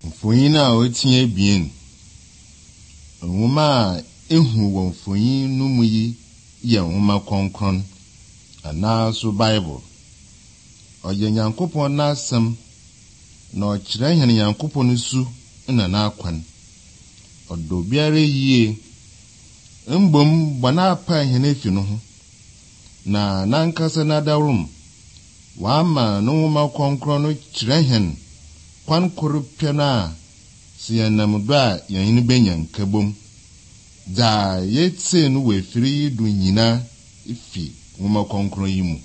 Mfonyin a otinye bien. Nwoma ehu wɔ mfonyin no mu yi yɛ nwoma kronkron anaaso Bible. Ɔyɛ Nyankopɔn n'asɛm na ɔkyerɛ hɛn Nyankopɔn su na n'akwan. Ɔdɔ biara yie. Mbom bɔna apa hɛn efi no ho. Na nankasa n'adawrum wama no nwoma kronkron no kyerɛ hɛn kwan koro pɛ na si yanam do a yɛn benya nkabom. Da yɛtse no wɔ afiri yi do nyina ifi nwoma kronkron yi mu.